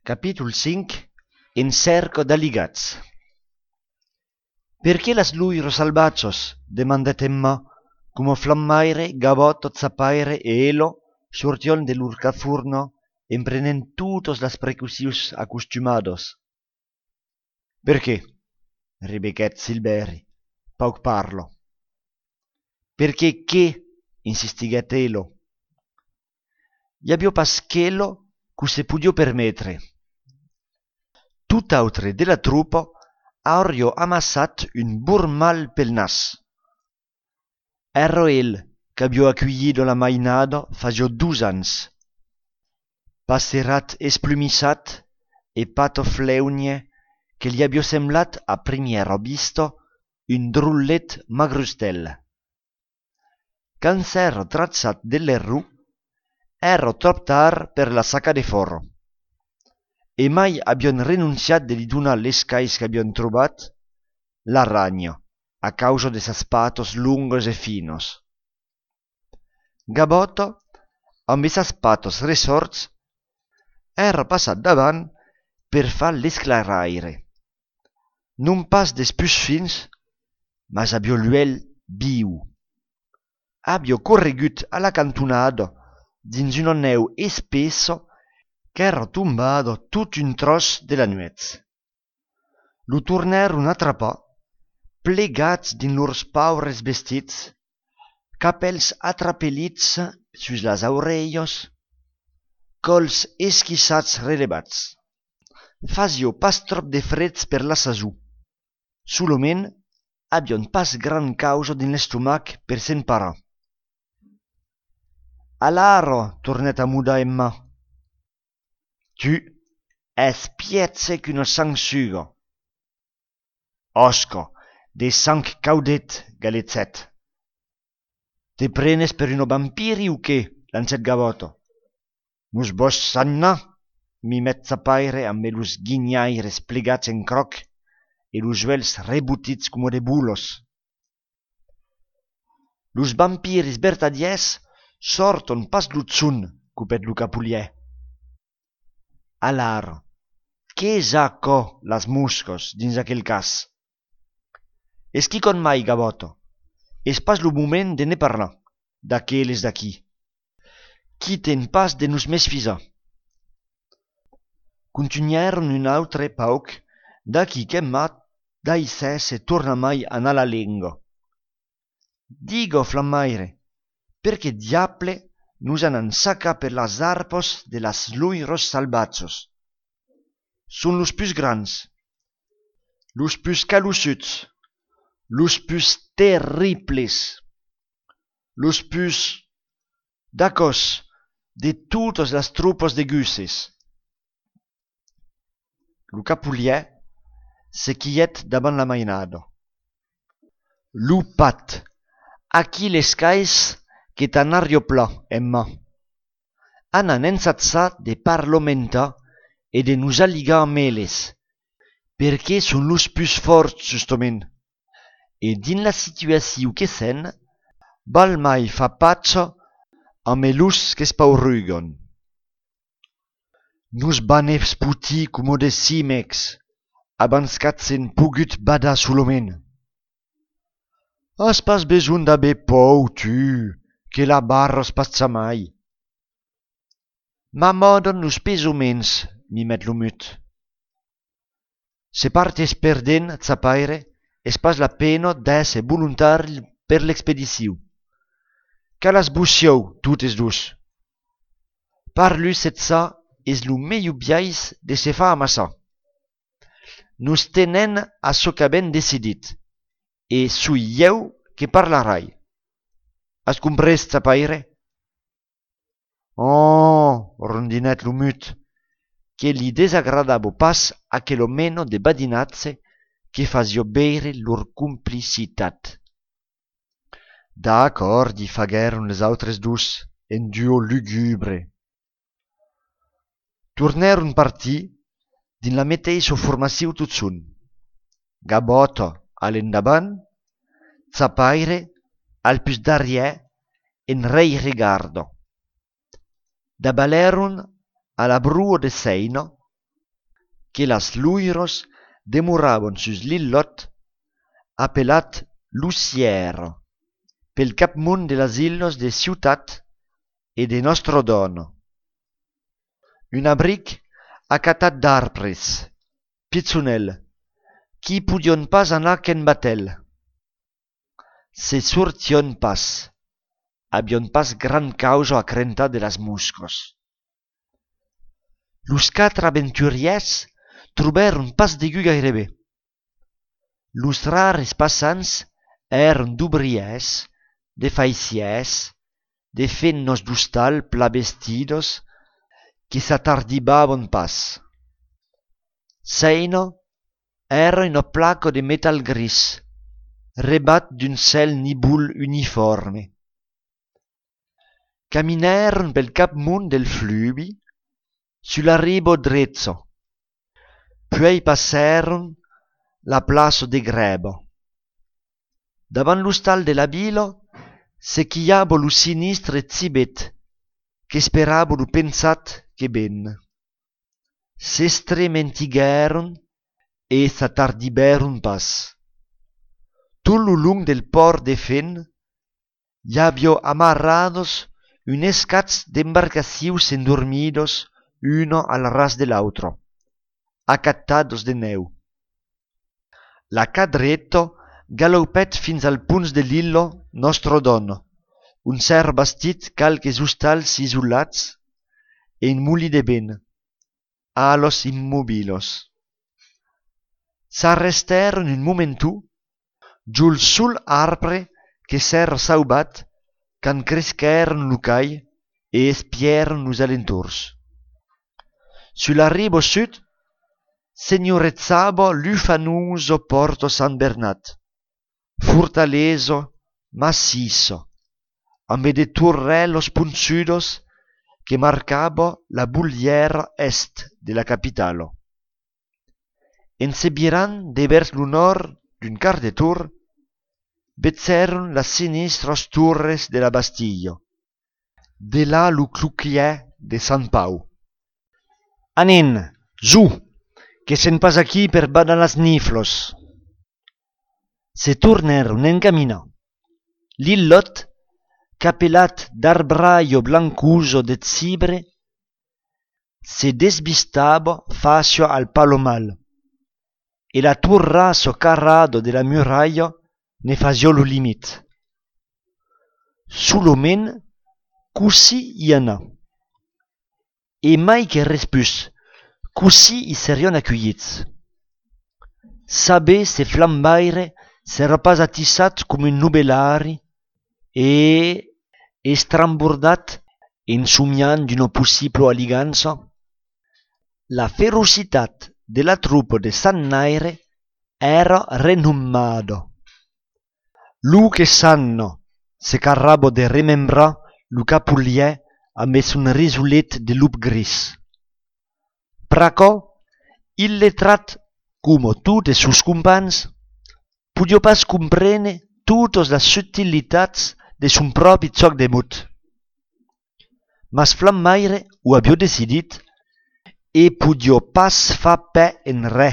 Capítol 5. En cerco d'alligats. «Perché las luiros salvachos?» demandet Emma, como Flammaire, Gabotto, Zapaire e Elo sortion de lur cafurno emprenent tutos las precusius accustumados. «Perché?» ribequèt Silveri, pauc parlo. «Perché che?» insistiguèt Elo. «I aviò pas chelo cu se pudio permetre. Tut'autre de la troupa auriò amassat un bur mal pel nas. Ero el qu'aviò acuillido la mainada fagiò 2 ans. Passerat esplumissat e pato fleunie che li aviò semblat a primiera vista un drullet magrustel. Quand s'ero trazzat delle ru, ero trop tard per la sacca de foro. E mai avion renunciat de li donar les cais qu'avion trobat la ragna, a causa de sas patos lungos e finos. Gabotto, amb esas patos resorts, era passat davant per far l'esclaraire. Non pas des pus fins, mas aviò l'uel viu. Aviò corregut a la cantonada dins una neu espesso qu'era tombado tot un tros de la nuez. Lo tornèron atrapar, plegats dins lors paures vestits, capels atrapelits sus las aurelhos, cols esquissats relevats. Fasió pas trop de freds per la sasù. Solament avion pas gran causa dins l'estomac per s'emparar. «Alaro!» tornèt a mudar Emma. «Tu es piètze qu'una sangsuga.» «Osca, de sang caudet», galetzèt. «Te prenes per uno vampiri o qué?» lancèt Gabotto. «Nos vos sanna?» mimet Zapaire amb los guinyaires plegats en croc e los uels rebutits como de bulos. «Los vampiris vertadiers sorton pas d'Utzun», cupèt lo capulièr. «Alaro, qu'è aquò las moscos dins aquel cas?» «Esqui con mai, Gabotto, és pas lo moment de ne parlar, d'aqueles d'aquí. Quiten pas de nos mesfisar.» Continuèron un autre pauc, d'aquí qu'Emma daissè se torna mai anar la lengua. «Digo, Flammaire, perché diable nos han ensacat per las arpos de las luiros salvatsos? Son los pus grans, los pus calussuts, los pus terribles, los pus d'acos de totes las tropas de gusses.» Lo capulièr se quiet davant la mainada. «Lo pat, aquí les cais que t'an ario pla, Emma. Anan ensatzat de parlamentar e de nos alligar amb elles, perché son los pus forts justament, e din la situacion que sen, val mai fa patxa amb los que spaurugon. Nos van esputir como de cimecs, abans qu'atzen pogut badar solament. Has pas besoin d'aver pou, tu, que la barras pas mai. M'amoden los pesoments, mimet lo mut. Se partes perdent, Zapaire, és pas la pena d'èsser voluntari per l'expedició. Calas bussiau, totes dos. Parlus et ça és lo melhor biais de se fa amassar. Nos tenen a çò qu'avem decidit, e soi eu que parlarai. Has comprès, Zapaire? «Oh!» rondinèt lo mut, que li desagradava pas aquelo meno de badinatze que fasió beire lor complicitat. «D'accord», faguèron les autres dos en duo lugubre. Tornèron partir din la meteissa formaciu tutsun. Gabotto a l'endavant, Zapaire al pus darrièr en rei regardo. Dabalèron a la brua de seina que las luiros demoravan sus l'illot appelat Luciero, pel capmunt de las illos de Ciutat e de Nostro Dono. Un abric acatat d'arbres, pizzonel, qui pudion pas anar qu'en batel. Se sortion pas, abion pas gran causa a crentar de las muscos. Los quatre aventuriers troberon pas degut gairebé. Los rares passants eran d'obriers, de faiciers, de fennos d'hostal pla vestidos, que s'atardibavan pas. Seino era un placo de metal gris, rebat d'un cel nibul uniforme. Caminaron pel capmunt del fluvi, sulla ribo drezzo, poi passaron la plaça de Grebo. Davant l'hostal de la vila se chiava lo sinistre zibet, che sperava lo pensat che ben. S'estrementigueron e s'attardiberon pas. Tot lo long del port de Fen hi havia amarrados unes cats d'embarcacius endormidos uno al ras de l'altro, acatados de neu. La cadretto galopet fins al punt de l'illo Nostro Dono, un cer bastit calques hostals isolats e un muli de ben, alos immobilos. S'arresteron un momentu giul sul arbre che s'era saubat can cresqueron lo cai e espieron los alentors. Sulla ribo sud signorezzava l'ufanuso Porto San Bernat, fortaleso, macizo, amb de torrellos punzudos que marcava la bulliera est de la capitalo. En se virant de vers lo nord d'un quart de tour, vezzeron las sinistras torres de la Bastilla, de là lo cluclier de Sant Pau. Anen, zu, que se'n pas aquí per badar las niflos. Se torneron en camina. L'illot, capelat d'arbraio blancuso de cibre, se desvistava facio al Palomal, e la turraso carrado de la muralla ne facio lo limit. Sulomen, così i anà. E mai che res pus, così i serion accueillits. Saber se flambaire s'era pas atissat com un nubelari e estrambordat ensomiant d'una possible aligança. La ferocitat de la truppa de Sant Naire era renommada. Lu che sanno se carrabo de remembrar lo capulier amb un risulet de lup gris. Praco, illetrat como tutti sus compans, podia pas comprene totes las subtilitats de son propi joc de mut. Mas Flammaire ho havia decidit e podia pas fa pe en re,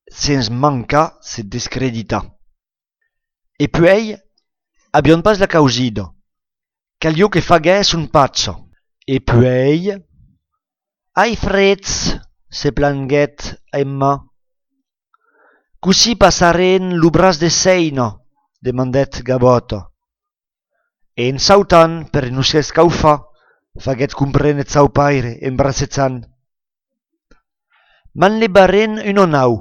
sens mancar se descreditar. E puei abion pas la causida, caglio che fagués un pazzo. E puei... Ai freds, se planguet Emma. Così passaren lo bras de Seino, demandet Gaboto. E en sautant, per non s'escaufa, faguet comprenet sau paire, embrassezant. Man lebaren una nau,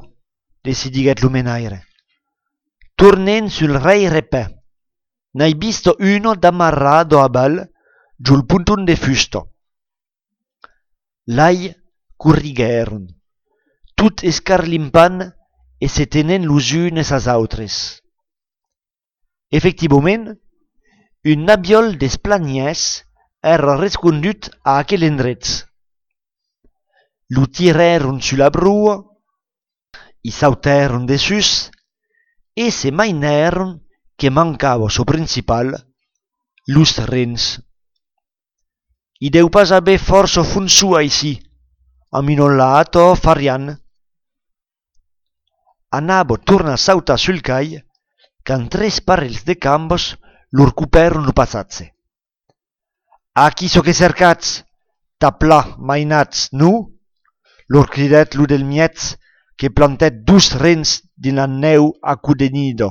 decidiguet lo menaire. Tornen sul rei repè. N'hai visto uno d'amarrado a bal, giul puntun de fusto. Lai currigueron, tut escarlimpant e se tenen los unes als autres. Efectivament, un nabiol d'esplaniès era rescondut a aquel endrets. Lo tireron sulla brua, i sauteron de sus e se maineron que mancava so principal, los rens. I deu pas haver força fun sua ici, aminolato farian, anavo torna a sautar sul cai, quand 3 parells de cambos lor cupèron lo passatge. «A qui so que cercatz, taplà mainatz, non?» lor cridèt lo del miètz que plantèt 2 rens dins la neu a cò de nido.